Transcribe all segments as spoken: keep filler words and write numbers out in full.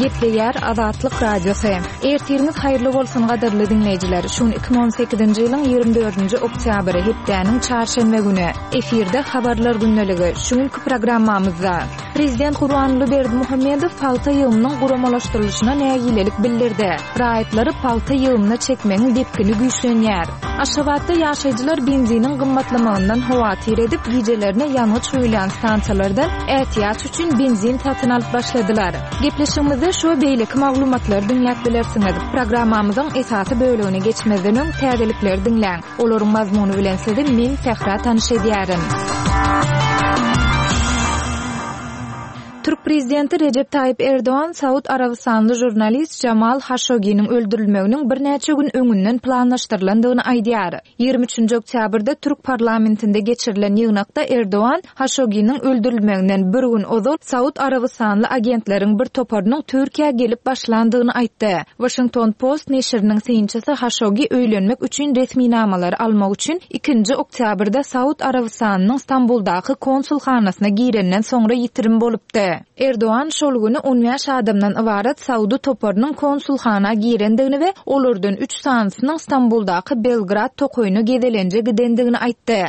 Gepleýär Azatlyk Radiosy. Ertiriňiz haýyrly bolsun gadyrly diňleýjiler. Şu gün iki müň on sekizinji ýylyň ýigrimi dördünji oktýabry, hepdäniň çarşenbe güni. Efirde habarlar gündeligi. Şu günkü programmamyzda Prezident Gurbanguly Berdimuhamedow pagta ýygymynyň guramalaşdyrylyşyna nägilelik bildirdi. Raýatlary pagta ýygymyna çekmegiň depgini güýçlenýär. Aşgabatda ýaşaýjylar benziniň gymmatlamagyndan howatyr edip, gijelerine ýangyç guýulýan stansiýalardan ätiýaç üçin benzin satyn alyp başladylar. Gepleşigimizde şu beýleki maglumatlary diňläp bilersiňiz. Programmamyzyň esasy bölegine geçmezden öň täzelikleri diňläň. Olaryň mazmuny bilen sizi men Sähra tanyş edýärin. Türk prezidenti Recep Tayyip Erdoğan Saud Arabistanly jurnalist Jamal Khashoggi'niň öldürilmeginiň birnäçe gün öňünden planlaşdyrylandygyny aýdýar. Ýigrimi üçünji oktýabrda Türk parlamentinde geçirilen ýygnakda Erdoğan Khashoggi'niň öldürilmeginden bir gün ozal Saud Arabistanly agentleriň bir toparynyň Türkiýä gelip başlandygyny aýtdy. Washington Post neşiriniň synçysy Khashoggi öýlenmek üçin resminamalary almak üçin ikinji oktýabrda Saud Arabistanynyň Stambuldaky konsulhanasyna girenden soňra ýitirim bolupdy. Erdoğan şol güni on bäş adamdan ybarat Saudy toparynyň konsulhana girendigini we olardan üç sanysynyň Stambuldaky Belgrad tokaýyna gezelenje gidendigini aýtdy.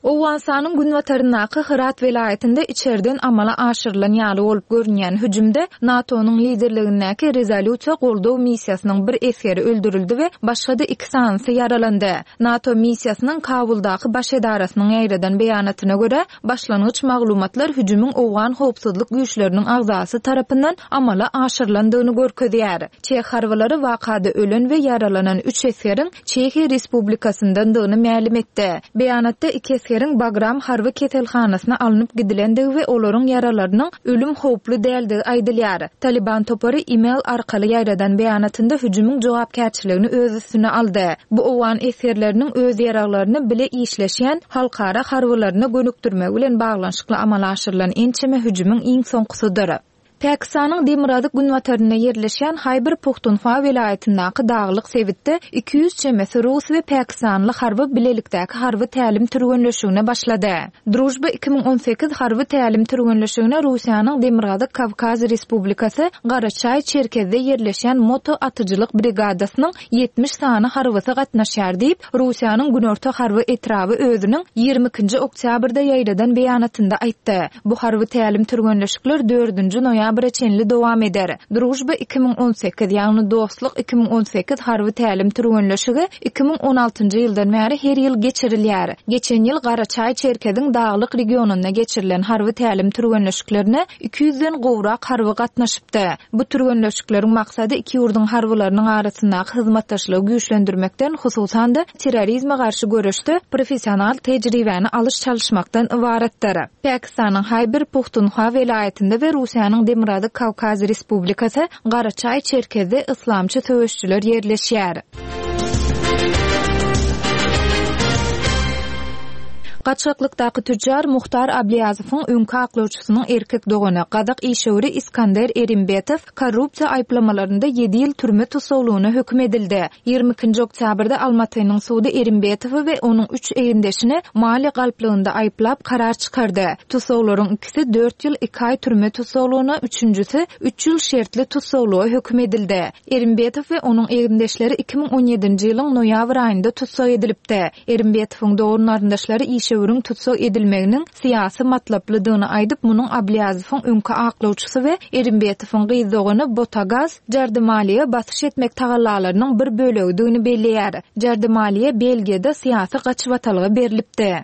Owganystanyň günbataryndaky Hyrat welaýatynda içerden amala aşyrylan ýaly bolup görünýän hüjümde NATO-nyň liderligindäki rezolýusiýa goldaw missiýasynyň bir esgeri öldürildi we başga-da iki sanysy ýaralandy. NATO missiýasynyň Kabuldaky baş edarasynyň ýaýradan beýanatyna görä, başlangyç maglumatlar hüjümiň Owgan howpsuzlyk güýçleriniň agzasy tarapyndan amala aşyrylandygyny görkezýär. Çeh harbylary wakada ölen we ýaralanan üç esgeriň Çehiýa Respublikasyndandygyny mälim etdi. Beýanatda iki esgeriň Bagram harby keselhanasyna alnyp gidilendigi we olaryň ýaralarynyň ölüm howply däldigi aýdylýar. Taliban topary e-mail arkaly ýaýradan beýanatynda hüjümiň jogapkärçiligini öz üstüne aldy. Bu Owgan esgerleriniň öz ýaralaryny bile işleşýän halkara harbylaryna gönükdirmegi bilen baglanyşykly amala aşyrylan ençeme hüjümiň iň soňkusydyr. Pakistanyň Demirgazyk günbatarynda ýerleşýän Haýbar Puhtunhwa welaýatyndaky daglyk sebitde iki ýüz çemesi Rus we Pakistanly harby bilelikdäki harby tälim türgenleşigine başlady. Drujba iki müň on sekiz harby tälim türgenleşigine Russiýanyň Demirgazyk Kawkaz Respublikasy Garaçaý Çerkezde ýerleşýän moto atyjylyk brigadasynyň ýetmiş sany harbysy gatnaşýar diýip, Russiýanyň Günorta harby etraby özüniň ýigrimi ikinji oktýabrda ýaýradan beýanatynda aýtdy. Bu harby tälim türgenleşikler dördünji noýabr çenli dowam eder. Drujba iki müň on sekiz, ýagny Dostluk iki müň on sekiz harby tälim türgenleşigi iki müň on altynjy ýyldan bäri her ýyl geçirilýär. Geçen ýyl Garaçaý Çerkeziň daglyk regionynda geçirilen harby tälim türgenleşiklerine iki ýüzden gowrak harby gatnaşypdy. Bu türgenleşikleriň maksady iki ýurduň harbylarynyň arasyndaky hyzmatdaşlygy güýçlendirmekden, hususan-da terrorizme garşy göreşde professional tejribäni alyş çalyşmakdan ybaratdyr. Pakistanyň Haýbar Puhtunhwa welaýatynda we Russiýanyň Demirgazyk Kawkaz Respublikasy Garaçaý Çerkezde islamçy söweşçiler ýerleşýär. Gaçaklykdaky tüccar Muhtar Abliýazowyň öňki aklawçysynyň erkek dogany Gazak işewri Iskander Erimbetow korrupsiýa aýyplamalarynda ýedi ýyl türme tussaglygyna höküm edildi. Ýigrimi ikinji oktýabrda Almatynyň sudy Erimbetowy we onuň üç egindeşini maliýe galplygynda aýyplap karar çykardy. Tussaglaryň ikisi dört ýyl iki aý türme tussaglygyna, üçünjisi üç ýyl şertli tussaglyga höküm edildi. Erimbetow we onuň egindeşleri iki müň on ýedinji ýylyň noýabr aýynda tussag edilipdi. Erimbetowyň dogan garyndaşlary işewüriň tussag edilmeginiň syýasy matlaplydygyny aýdyp, munuň Abliýazowyň öňki aklawçysy we Erimbetowyň gyz dogany Botagaz Jardimaliýe basyş etmek tagallalarynyň bir bölegidigini belleýär. Jardimaliýe Belgiýada syýasy gaçybatalga berilipdi.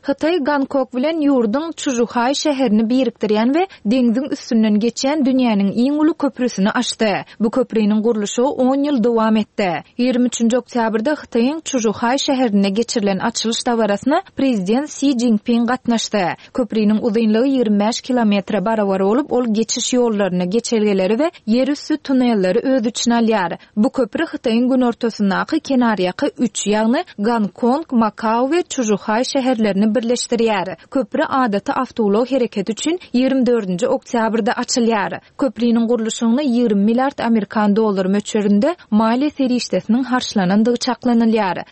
Hytaý Gangkok bilen ýurduň Çžuhaý şäherini birikdirýän we deňziň üstünden geçýän dünýäniň iň uly köprüsini açdy. Bu köprüniň gurluşy on ýyl dowam etdi. Ýigrimi üçünji oktýabrda Hytaýyň Çžuhaý şäherinde geçirilen açylyş dabarasyna prezident Si Jinping gatnaşdy. Köprüniň uzynlygy ýigrimi bäş kilometre barabar bolup, ol geçiş ýollaryny, geçelgeleri we ýerüsti tunelleri öz içine alýar. Bu köprü Hytaýyň günortasyndaky kenarýaka üç, ýagny Gangkong, Makao we Çžuhaý şäherlerini birleşdirýär. Köprü adaty awtoulag hereketi üçin ýigrimi dördünji oktýabrda açylýar. Köprüniň gurluşygyna ýigrimi milliard amerikan dollary möçberinde maliýe serişdesiniň harçlanandygy çaklanylýar.